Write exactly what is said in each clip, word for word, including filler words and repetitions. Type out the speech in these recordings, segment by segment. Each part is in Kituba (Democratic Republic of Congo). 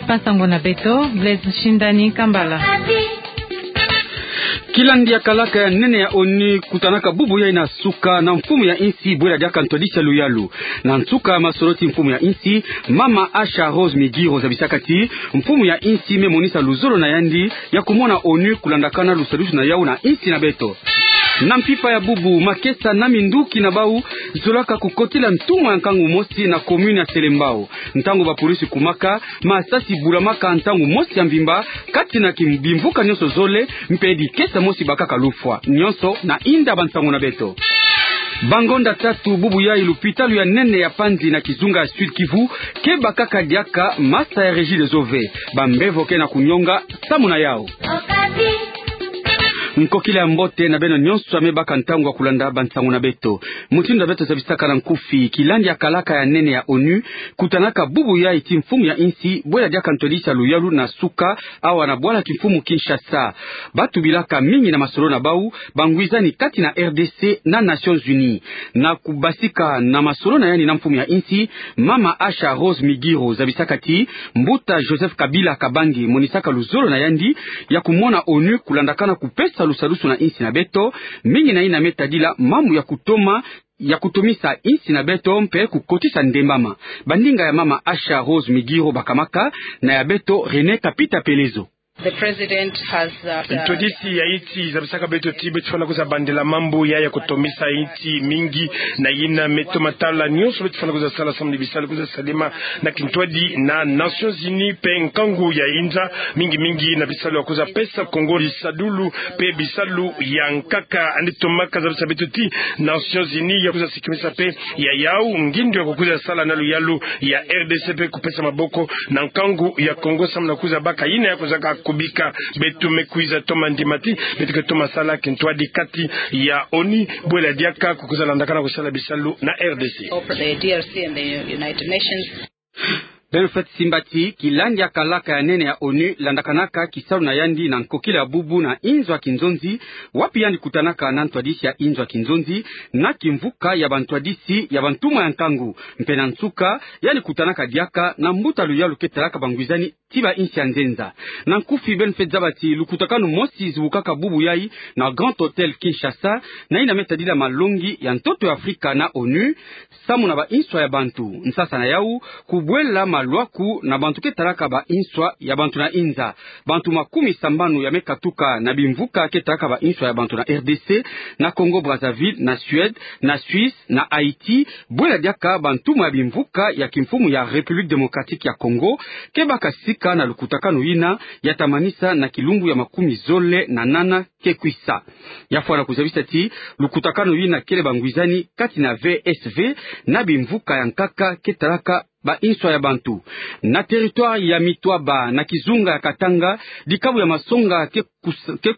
Bansango na beto, Blaise Shindani Kambala. Kilandi ya kalaka ya nene ya ONU kutanaka bubu yai na suka na mfumu ya insi bwela diaka ntwadisi ya luyalu. Na nsuka ya masolo ti mfumu ya insi, mama Asha Rose Migiro zabisaka ti mfumu ya insi me monisa luzolo na yandi ya kumona ONU kulandakana lusadusu na yau na insi na beto. Na mpimpa ya bubu, makesa na minduki na bau zolaka kukotila ntumwa ya nkangu mosi na commune ya Selembao, ntangu ba polisi kumaka masasi bulamaka ntangu mosi ya mvimba kati na ki- bimvuka nyonso zole, mpe dikesa mosi bakaka lufwa. Nyonso na inda bansango na beto. Bangonda tatu bubu yai lupitalu ya nene ya Panzi na kizunga ya Sud-Kivu ke bakaka diaka masa ya Regideso ve. Bambevo ke na kunyonga samu na yau. Nkokila ya mbote na beno nyonso ya me baka ntangu ya kulanda bansango na beto. Mutindu ya beto zabisaka na nkufi, kilandi ya kalaka ya nene ya ONU kutanaka bubu yai ti mfumu ya insi bwela diaka ntwadisi ya luyalu na suka awa na bwala kimfumu Kinshasa. Batubilaka mingi na masolo na bau bangwizani kati na R D C na Nations Unies. Na kubasika na masolo na yandi na mfumu ya insi, mama Asha Rose Migiro zabisaka ti mbuta Joseph Kabila Kabange monisaka luzolo na yandi ya kumona ONU kulandakana kupesa lusadusu na insi na beto, mingi na yina me tadila mambu ya kutoma ya kutomisa insi na beto mpe kukotisa ndembama. Bandinga ya mama Asha Rose Migiro bakamaka, na ya beto René Kapita Pelezo. The president has, uh, ntwadisi ya insi zabisaka beto ti beto fwana kwiza bandela mambu ya ya kutomisa insi mingi, na yina me toma tala nyonso beto fwana kwiza sala samu na bisalu kwiza salama na kintwadi na Nations Unies mpe nkangu ya inza, mingi mingi na bisalu ya kwiza pesa Kongo lisadulu mpe bisalu ya nkaka. Yandi tomaka zabisa beto ti Nations Unies ya kwiza sikimisa mpe ya yau ngindu ya kukwiza sala na luyalu ya R D C mpe kupesa maboko na nkangu ya Kongo samu na kwiza baka yina ya kwizaka kubika. Beto me kwiza toma ndima ti beto ke toma sala kintwadi kati ya ONU bwela diaka kukwiza landakana kusala bisalu na R D C. Of the D R C and the United Nations. Beno fweti simba ti kilandi ya kalaka ya nene ya ONU landakanaka kisalu na yandi na nkokila ya bubu na inzo ya kinzonzi, wapi yandi kutanaka na ntwadisi ya inzo ya kinzonzi na kimvuka ya bantwadisi ya bantumwa ya nkangu. Mpe na nsuka, yandi kutanaka diaka na mbuta luyalu ke talaka bangwizani ti ba insi ya nzenza. Na nkufi, beno fweti zaba ti lukutakanu mosi zibukaka bubu yai na Grand Hôtel Kinshasa, na yina me tadila malongi ya ntoto ya Afrika na ONU samu na ba inswa ya bantu. Nsasa na yau, kubwela malwaku na bantu ke talaka ba inswa ya bantu na inza. Bantu makumi sambanu ya me katuka na bimvuka ke talaka ba inswa ya bantu na R D C, na Congo Brazzaville, na Suède, na Suisse, na Haïti, bwela diaka bantumwa ya bimvuka ya kimfumu ya République Démocratique ya Congo, ke baka sika na lukutakanu yina ya tamanisa na kilumbu ya makumi zole na nana ke kwisa. Ya fwana kuzabisa ti lukutakanu yina kele bangwizani kati na V S V na bimvuka ya nkaka ke talaka ba inswa ya bantu. Na territoire ya Mitwaba, na kizunga ya Katanga, dikabu ya masonga ke kus-, ke,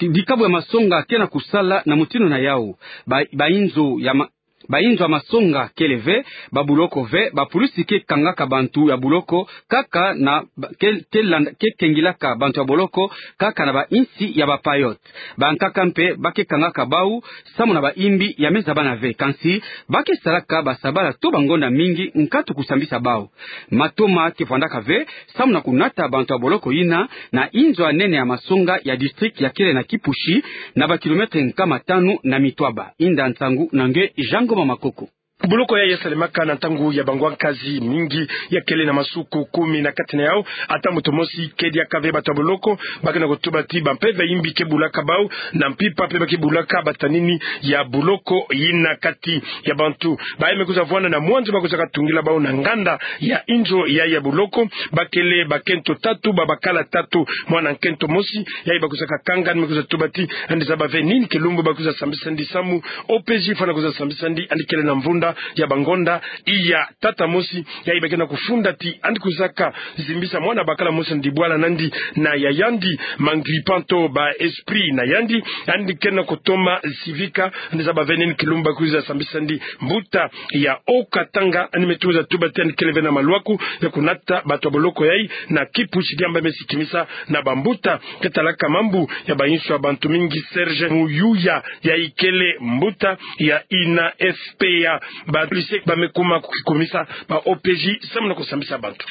dikabu ya masonga ke na kusala na mutindu na yau. Ba, ba inzo ya ma-, ba inzo ya masonga kele ve, ba buloko ve, ba pulusi ke kangaka bantu ya buloko kaka na ba, ke, ke landa, ke kengilaka bantu ya boloko kaka na ba insi ya ba payot. Bankaka mpe ba ke kangaka bau samu na ba imbi ya me zabana ve. Kansi ba ke salaka ba sabala to bangonda mingi nkatu kusambisa bau. Matoma ke vwandaka ve samu na kunata bantu ya boloko yina na inzo ya nene ya masonga ya district ya kele na Kipushi, na ba kilomètre nkama tanu na Mitwaba. Inda nsangu na nge Jean Ngoma Makoko. Boloko ya ya salemaka na ntangu ya bangwa nkazi mingi ya kele na masuku kumi na kati na yau ata moto mosi ke diaka ve. Bato ya boloko ba ke na kutuba ti ba mpeve ya imbi ke bulaka bau, na mpimpa mpe ba ke bulaka batanini ya boloko yina kati ya bantu. Baye me kwiza vwanda na mwanzu ba kwizaka tungila bau na nganda ya inzo ya ya boloko, ba kele bakento tatu, ba bakala tatu, mwana nkento mosi yayi ba kwizaka kanga, yandi me kwiza tuba ti yandi zaba ve nini kilumbu ba kwiza sambisa yandi samu. O P J fwana kwiza sambisa yandi, yandi kele na mvunda ya bangonda iya tata mosi yayi ba ke na kufunda ti yandi kwizaka zimbisa mwana bakala mosi na dibwala na yandi na yaya yandi, ma ngripanto ba esprit na yandi, yandi ke na kutoma zivika. Yandi zaba ve nini kilumbu ba kwiza sambisa yandi. Mbuta ya Haut-Katanga yandi me kwiza tuba ti yandi kele ve na malwaku ya kunata bato ya boloko yayi na Kipushi, diambu me sikimisa na bambuta ke talaka mambu ya ba inswa ya bantu mingi. Serge Muyuya yayi kele mbuta ya I N F P A. Ba lycée ba me kuma kukikumisa ba O P J samu na kusambisa bantu.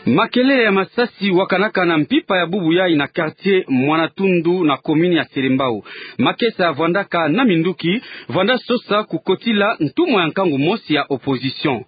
Makelele ya masasi wakanaka na mpimpa ya bubu yayi na quartier Mwana Tundu na commune ya Selembao. Makesa vwandaka na minduki, vwanda sosa kukotila ntumwa ya nkangu mosi ya opposition.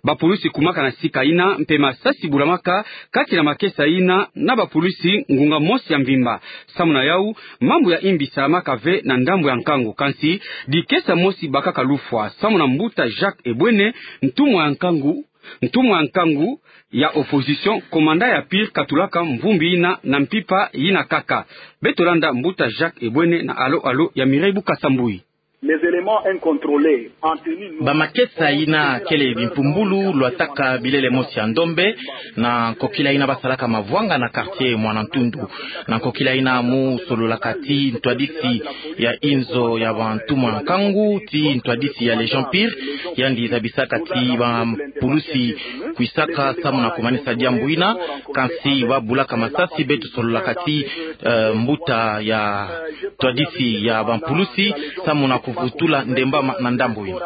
Bapulusi kumaka na sika yina, mpe masasi bulamaka kati na makesa yina na bapulusi ngunga mosi ya mvimba. Samu na yawu, mambu ya imbi salamaka ve na ndambu ya nkangu, kansi dikesa mosi bakaka lufwa, samu na mbuta Jacques Ebwene, ntumwa ya nkangu, ntumwa ya nkangu ya opposition, commandant ya pire katulaka mvumbi yina na mpimpa yina kaka. Beto landa mbuta Jacques Ebwene na alo-alo ya Mireille Bukasa Mbuyi. Les éléments incontrôlés en tenue. Bamakesa yina kele bimpumbulu lwataka bilele mosi ya ndombe, na nkokila yina basalaka mavwanga na quartier Mwana Ntundu. Na nkokila yina mu sololaka ti ntwadisi ya inzo ya bantumwa nkangu, ti ntwadisi ya Légion Pire, yandi zabisaka ti bapulusi kwisaka samu na kumanisa diambu yina, kansi babulaka masasi. Beto sololaka ti, eh, mbuta ya ntwadisi ya bapulusi samu na kuvutula ndembama na ndambu yina.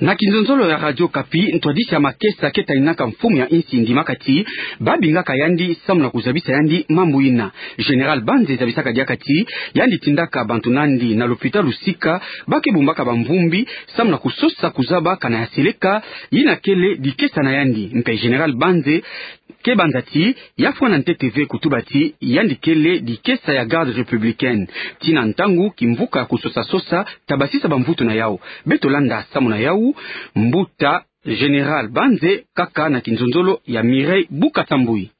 Na kinzonzolo ya Radio Okapi, ntwadisi ya makesa ke taninaka mfumu ya insi ndimaka ti babingaka yandi samu na kuzabisa yandi mambu yina. Général Banze zabisaka diaka ti yandi tindaka bantu na yandi na lopitalu sika ba ke bumbaka bamvumbi samu na kusosa kuzaba kana ya seleka yina kele dikesa na yandi. Mpe Général Banze ke banza ti ya fwana ntete ve kutuba ti yandi kele dikesa ya Garde républicaine. Tii na ntangu kimvuka ya kusosa-sosa ta basisa bamvutu na yawu. Beto landa samu na yawu mbuta Général Banze kaka na kinzonzolo ya Mireille Bukasa Mbuyi.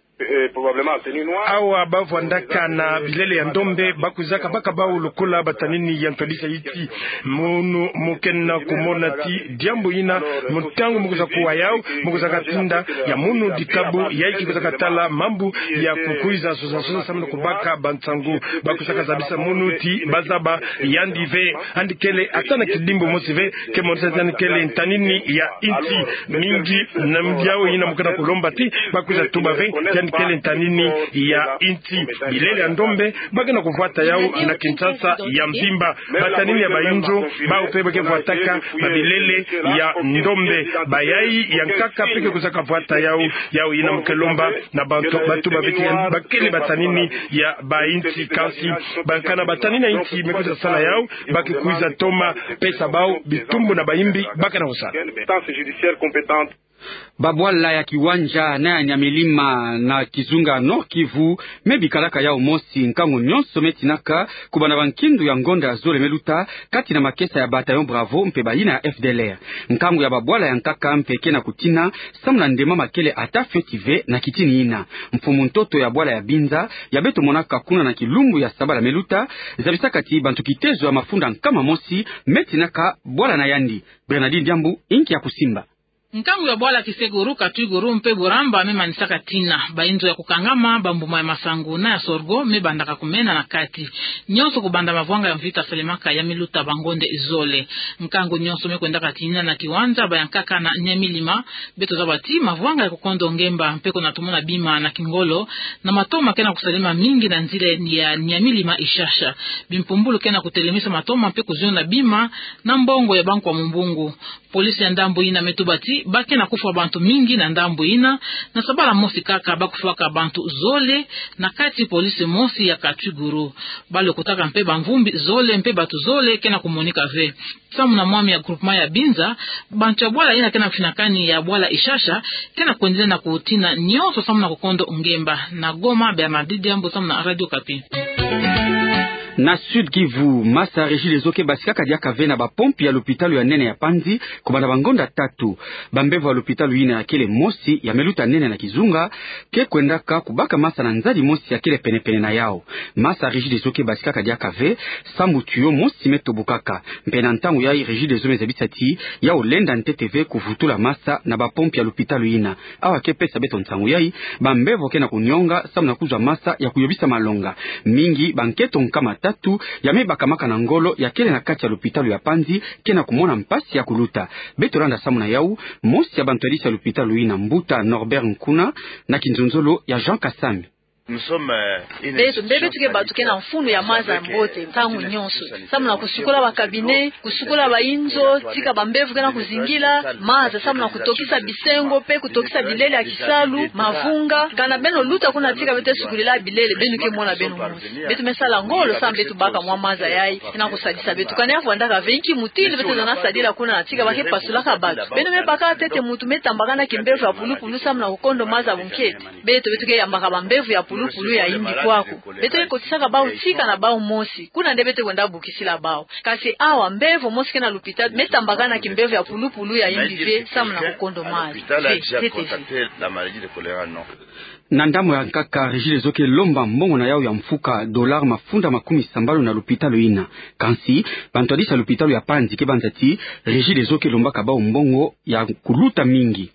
Awa bavwandaka na bilele ya ndombe, bakwizaka baka bawu lokola batanini ya ntwadisi ya insi. Munu mu kena kumona ti diambu yina, mu ntangu mu kwiza kuwa yawu, mu kwiza katinda ya munu dikabu yayi ki kwiza katala mambu ya kukwiza sosa-sosa samu na kubaka bansangu. Bakwizaka zabisa munu ti bazaba yandi ve, yandi kele ata na kidimbu mosi ve ke monisa ti yandi kele ntanini ya insi. Mingi na yawu yina mu kena kulomba ti bakwiza tuba ve ti yandi kele ntanini ya insi. Bilele ya ndombe ba kena kuvwata yawu na Kinshasa ya mvimba. Batanini ya bainzo, bawu mpe ba ke vwataka babilele ya ndombe. Bayayi ya nkaka mpe ke kwizaka vwata yawu. Yawu yina mu ke lomba na bantu, batuba ve ti ba kele batanini ya bainsi, kansi ba kana batanini ya insi me kwiza sala yawu, ba ke kwiza toma pesa bawu bitumbu na bayimbi ba kena kusala. Babwala ya Kiwanja na ya Nyamilima na kizunga Nord-Kivu me bikalaka yawu mosi nkangu nyonso me tinaka kubanda bankindu ya ngonda zole me luta kati na makesa ya Bataillon Bravo mpe bayina ya F D L R. Nkangu ya babwala ya nkaka mpe kena kutina samu na ndemama kele ata fioti ve na kitini yina. Mfumu ntoto ya bwala ya Binza ya beto monaka kuna na kilumbu ya sabala me luta zabisaka ti bantu kitezo ya mafunda nkama mosi me tinaka bwala na yandi. Bernardine Diambu inki ya kusimba. Nkangu ya bwala Kiseguru, Katwiguru mpe Buramba me manisaka tina. Bainzo ya kukangama, bambuma ya masangu na ya sorgho me bandaka kumena na kati. Nyonso kubanda mavwanga ya mvita salemaka ya me luta bangonda zole. Nkangu nyonso me kwendaka tina na kiwanja ba ya nkaka na Nyamilima. Beto zaba ti mavwanga ya kukondo ngemba mpe kuna tumona bima na kingolo, na matoma kena kusalema mingi na nzila ya Nyamilima-Ishasha. Bimpumbulu kena kutelemisa matoma mpe kuziona bima na mbongo ya bankwa mumbungu. Polisi ya ndambu yina me tuba ti ba kena kufwa bantu mingi na ndambu yina, na sabala mosi kaka ba kufwaka bantu zole na kati polisi mosi ya Katwiguru. Ba lokotaka mpe bamvumbi zole mpe bantu zole kena kumonika ve. Samu na mwami ya groupement ya Binza, bantu ya bwala yina kena kufinakani ya bwala Ishasha kena kwendela na kutina nyonso samu na kukondo ngemba. Na Goma, Bernardine Diambu samu na Radio Okapi. Na Sud-Kivu, masa Regideso ke basikaka diaka ve na bapompi ya lopitalo ya nene ya Panzi kubanda bangonda tatu. Bambevo ya lopitalo yina ya kele mosi ya me luta nene na kizunga ke kwendaka kubaka masa na nzadi mosi ya kele penepene na yawu. Masa Regideso ke basikaka diaka ve samu tuyau mosi me tobokaka. Mpe na ntangu yayi Regideso me zabisa ti yawu lenda ntete ve kuvutula masa na bapompi ya lopitalo yina. Awa ke pesa beto nsangu yayi, bambevo kena kunionga samu na kuzwa masa ya kuyobisa malonga. Mingi bankento nkama tatu ya me bakamaka na ngolo ya kele na kati ya lopitalo ya Panzi kena kumona mpasi ya kuluta. Beto landa samu na yawu mosi ya bantwadisi ya lopitalo yina, mbuta Norbert Nkuna, na kinzonzolo ya Jean Kasami. Beto, mbe beto ke bato ke na mfunu ya maza ya mbote ntangu nyonso, samu na kusukola ba cabinet, kusukola ba inzo, tika ba mbevo ke na kuzingila, maza samu na kutokisa bisengo, mpe kutokisa bilele ya kisalu, mavunga. Kana beno luta kuna tika beto ke sukolila bilele, beno ke mona beno mosi. Beto me sala ngolo samu beto baka mwa maza yayi, ke na kusadisa beto. Kana ya vwandaka ve nki mutindu beto ke na sadila kuna na tika ba ke pasulaka bato. Beno me baka ntete muntu me tambakana kimbevo ya pulupulu samu na kukondo maza bunkete. Beto, beto ke yambaka ba mbevo ya pulupulu ya yimbi kwaku. Beto ke kotisaka bawu tika na bawu mosi. Kuna nde beto ke kwenda bukisila bawu. Kasi awa, mbevo mosi ke na lupitalu, me tambakana kimbevo ya pulupulu ya yimbi ve, samu na kukondo maza. Ve, ntete ve. Na ndambu ya nkaka, Regideso ke lomba mbongo na yawu ya mfuka, dollar mafunda makumi sambanu na lupitalu yina. Kansi, bantwadisi ya lupitalu ya Panzi ke banza ti, Regideso ke lombaka bawu mbongo ya kuluta mingi.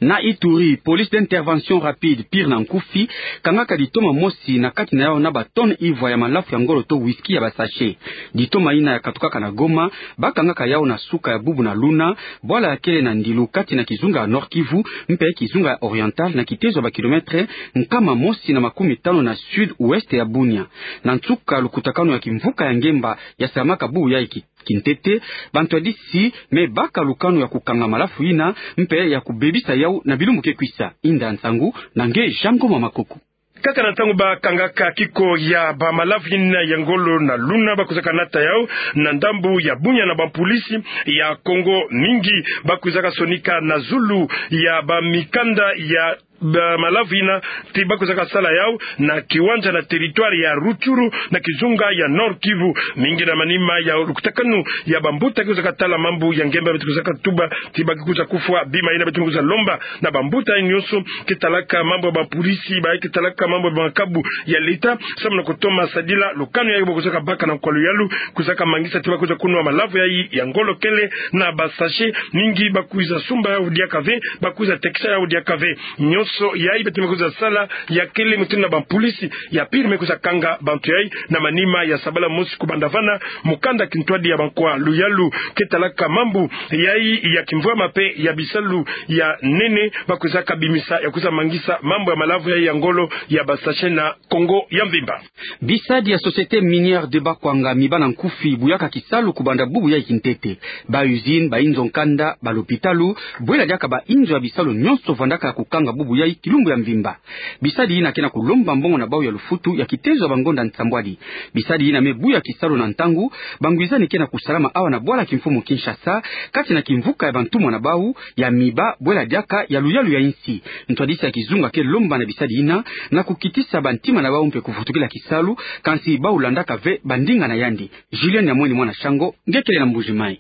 Na Ituri, police d'intervention rapide, PIR na nkufi, kangaka ditoma mosi na kati na yawu na ba tonnes ivwa ya malafu ya ngolo to whisky ya ba sachets. Ditoma yina ya katukaka na Goma, ba kangaka yawu na suka ya bubu na luna, bwala ya kele na Ndilu kati na kizunga ya Nord-Kivu, mpe kizunga ya Oriental na kitezo ya ba kilomètres nkama mosi na makumi tanu na sud-ouest ya Bunia. Na nsuka lukutakanu ya kimvuka ya ngemba ya salamaka bubu yayi ki- kintete, bantwadisi me baka lukanu ya kukanga malafu yina, mpe ya kubebisa yawu na bilumbu ke kwisa. Inda nsangu na nge Jean Ngoma Makoko. Kaka na ntangu ba kangaka kiko ya ba malafu yina ya ngolo na luna, ba kwizaka nata yawu na ndambu ya Bunia na ba polisi ya Congo mingi, ba kwizaka sonika na zulu ya ba mikanda ya ba malafu yina ti ba kwizaka sala yawu na kiwanja na territoire ya Rutshuru na kizunga ya Nord-Kivu. Mingi na manima ya lukutakanu ya bambuta ke kwizaka tala mambu ya ngemba, beto kwizaka tuba ti ba ke kwiza kufwa bima yina. Beto me kwiza lomba na bambuta nyonso ke talaka mambu ya ba polisi, ba ke talaka mambu ya ba makabu ya leta, samu na kutoma sadila lukanu yayi ba kwizaka baka na nkwa luyalu, kwizaka mangisa ti ba kwiza kunwa malafu yayi ya ngolo kele na ba sachets. Mingi ba kwiza sumba yawu diaka ve, ba kwiza tekisa yawu diaka ve. Nyonso yayi beto me kwiza sala ya kele mutindu na ba polisi ya PIR me kwiza kanga bantu yayi. Na manima ya sabala mosi kubanda vana, mukanda kintwadi ya ba nkwa luyalu ke talaka mambu yayi ya kimvwama mpe ya bisalu ya nene, ba kwizaka bimisa ya kwiza mangisa mambu ya malafu yayi ya ngolo ya ba sachets na Congo ya mvimba. Bisadi ya Société Minière de Bakwanga, miba na nkufi, buyaka kisalu kubanda bubu yayi kintete. Ba usines, ba inzo nkanda, ba lopitalu, bwela diaka ba inzo ya bisalu nyonso vwandaka ya kukanga bubu yayi kilumbu ya mvimba. Bisadi yina ke na kulomba mbongo na bawu ya lufutu ya kitezo ya bangonda nsambwadi. Bisadi yina me buya kisalu na ntangu bangwizani ke na kusalama awa na bwala kimfumu Kinshasa, kati na kimvuka ya bantumwa na bawu ya miba, bwela diaka ya luyalu ya insi. Ntwadisi ya kizunga ke lomba na bisadi yina na kukitisa bantima na bawu mpe kuvutukila kisalu, kansi bawu landaka ve bandinga na yandi. Julien Nyamweni, mwana Shango, nge kele na Mbuji-Mayi.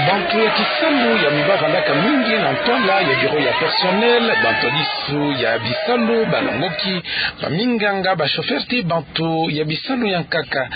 Bantu ya kisalu ya miba vandaka mingi na ntwala ya bureau ya personnel, bantwadisi ya bisalu, balongoki, baminganga, ba chauffeur ti bantu ya bisalu ya nkaka.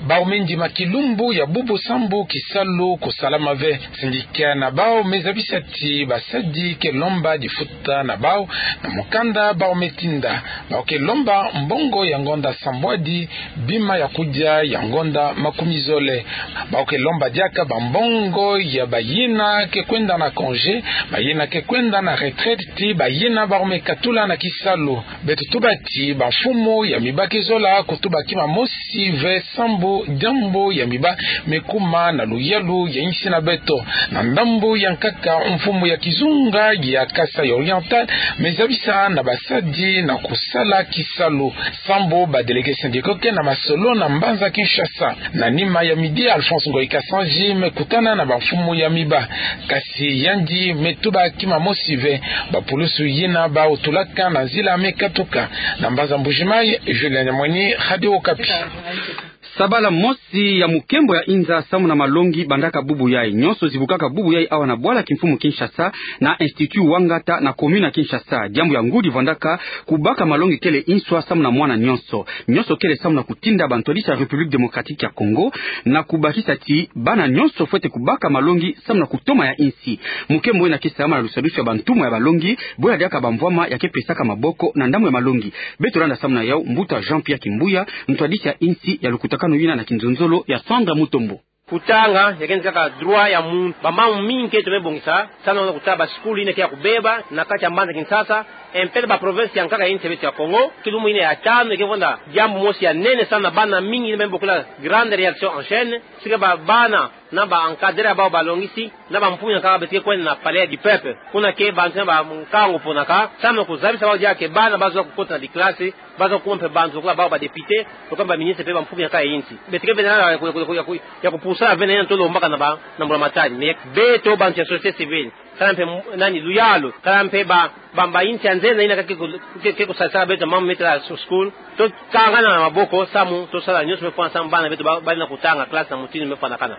Bawu me ndima kilumbu ya bubu sambu kisalu kusalama ve. Syndicat na bawu me zabisa ti basadi ke lomba difuta na bawu na mukanda bawu me tinda. Bawu ke lomba mbongo ya ngonda sambwadi, bima ya kudia ya ngonda makumi zole. Bawu ke lomba diaka bambongo ya bayina ke kwenda na congé, bayina ke kwenda na retraite, ti bayina bawu me katula na kisalu. Beto tuba ti bamfumu ya miba ke zola kutuba kima mosi ve sambu diambu ya miba me kuma na luyalu ya insi na beto. Na ndambu ya nkaka, mfumu ya kizunga ya Kasaï Oriental me zabisa na basadi na kusala kisalu sambu ba délégués syndicaux ke na masolo na mbanza Kinshasa. Na nima ya midi, Alphonse Ngoyi Kasanji me kutana na bamfumu ya miba. Kasi yandi me tuba kima mosi ve. Bapulusu yina bawu tulaka na nzila me katuka. Na mbanza Mbuji-Mayi, Julien Nyamweni, Radio Okapi. Sabala mosi ya mukembo ya inza samu na malongi bandaka bubu yayi. Nyonso zibukaka bubu yayi awa na bwala kimfumu Kinshasa, na Institut Wangata na commune ya Kinshasa. Diambu ya ngudi vandaka kubaka malongi kele inswa samu na mwana nyonso. Nyonso kele samu na kutinda bantwadisi ya République Démocratique ya Congo na kubakisa ti bana nyonso fwete kubaka malongi samu na kutoma ya insi. Mukembo yina ke salama na lusadusu ya bantumwa ya balongi, bwela diaka bamvwama ya ke pesaka maboko na ndambu ya malongi. Beto landa samu na yawu mbuta Jean-Pierre Kimbuya, ntwadisi ya insi ya lukutakanu yina na kinzonzolo ya Sandra Mutombo. Kutanga, ya kena kaka droit ya muntu. Bamambu mingi ke tope bongisa, salu na kutala ba school ina ke ya kubeba na kati ya mbanza Kinshasa, e mpelo ba province ya nkaka ya nsi ya beto ya Kongo, kilumu ina ya tanu, ke vwanda diambu mosi ya nene, salu na bana mingi ina bambi bokila grande réaction en chaîne, si kaba bana na ba encadré ya bau balongisi, na ba mfumu ya nkaka beto ke kwenda na Palais du Peuple. Kuna ke bantu na ba nkangu ponaka, salu na kuzabisa bau diaka ke bana bazola kukota na biklasi, bazola kuma mpe bantu lokola bau ba député, lokola ba ministre mpe ba mfumu ya nkaka ya nsi. Beto ke bena na ya ku-, ya ku-, ya ku-, ya kupusa vena ina tolo mbaka na ba, na mbula matadi. Mais beto bantu ya société civile, kala mpe m-, nani, luyalu, kala mpe ba, ba, ba nsi ya nzena ina ke ku-, ke, ke kusalisa beto mambu metela school, tokangana maboko, samu tosala nyonso mefwana samu bana beto ba, bana kutanga classe na mutindu mefwanakana.